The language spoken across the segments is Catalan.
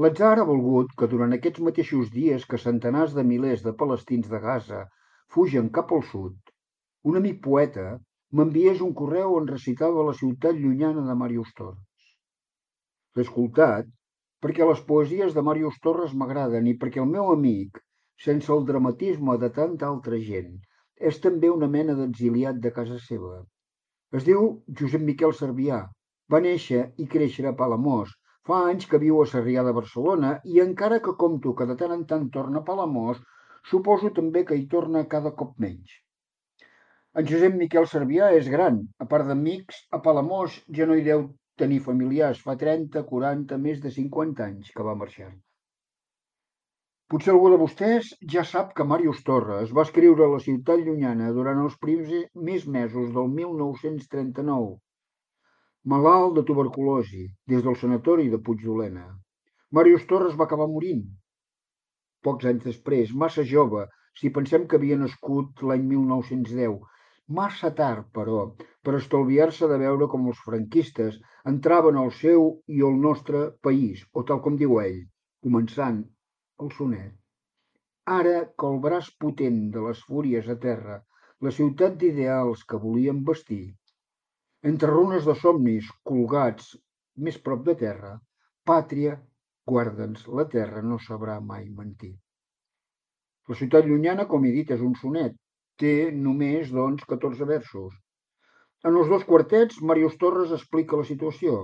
L'atzar ha volgut que durant aquests mateixos dies que centenars de milers de palestins de Gaza fugen cap al sud, un amic poeta m'enviés un correu on recitava la ciutat llunyana de Màrius Torres. L'he escoltat perquè les poesies de Màrius Torres m'agraden i perquè el meu amic, sense el dramatisme de tanta altra gent, és també una mena d'exiliat de casa seva. Es diu Josep Miquel Servià. Va néixer i créixer a Palamós. Fa anys que viu a Sarrià de Barcelona i encara que compto que de tant en tant torna a Palamós, suposo també que hi torna cada cop menys. En Josep Miquel Servià és gran. A part d'amics, a Palamós ja no hi deu tenir familiars. Fa 30, 40, més de 50 anys que va marxar. Potser algú de vostès ja sap que Màrius Torres va escriure La ciutat llunyana durant els primers mesos del 1939, malalt de tuberculosi, des del sanatori de Puigdolena. Màrius Torres va acabar morint pocs anys després, massa jove, si pensem que havia nascut l'any 1910. Massa tard, però, per estalviar-se de veure com els franquistes entraven al seu i al nostre país, o tal com diu ell, començant el sonet. Ara que el braç potent de les fúries a terra, la ciutat d'ideals que volien vestir, entre runes de somnis colgats més prop de terra, pàtria, guarda'ns, la terra no sabrà mai mentir. La ciutat llunyana, com he dit, és un sonet. Té només, doncs, 14 versos. En els dos quartets, Màrius Torres explica la situació.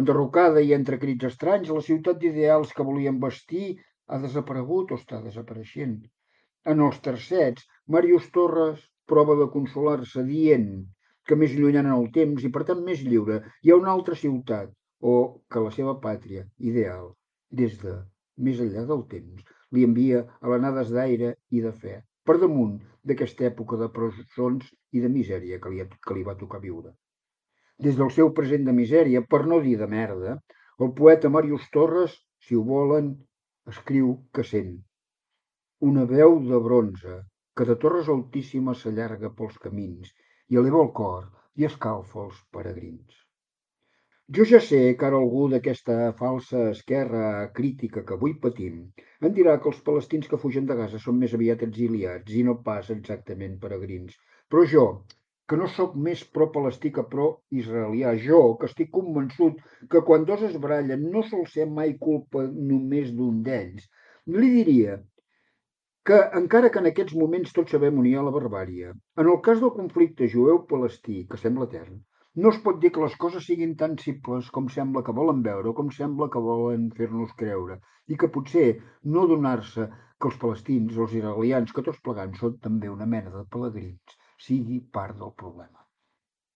Enderrocada i entre crits estranys, la ciutat d'ideals que volien vestir ha desaparegut o està desapareixent. En els tercets, Màrius Torres prova de consolar-se dient que més llunyana en el temps i per tant més lliure hi ha una altra ciutat o que la seva pàtria ideal, des de més enllà del temps, li envia alenades d'aire i de fe, per damunt d'aquesta època de presons i de misèria que li va tocar viure. Des del seu present de misèria, per no dir de merda, el poeta Màrius Torres, si ho volen, escriu que sent una veu de bronze que de torres altíssimes s'allarga pels camins i eleva el cor i escalfa els peregrins. Jo ja sé que ara algú d'aquesta falsa esquerra crítica que avui patim en dirà que els palestins que fugen de Gaza són més aviat exiliats i no pas exactament peregrins. Però jo, que no sóc més pro-palestí que pro-israelià, jo, que estic convençut que quan dos es barallen no sol ser mai culpa només d'un d'ells, li diria que encara que en aquests moments tots sabem on hi ha la barbàrie, en el cas del conflicte jueu-palestí, que sembla etern, no es pot dir que les coses siguin tan simples com sembla que volen veure o com sembla que volen fer-nos creure, i que potser no donar-se que els palestins, els israelians, que tots plegats són també una mena de pelegrins, sigui part del problema.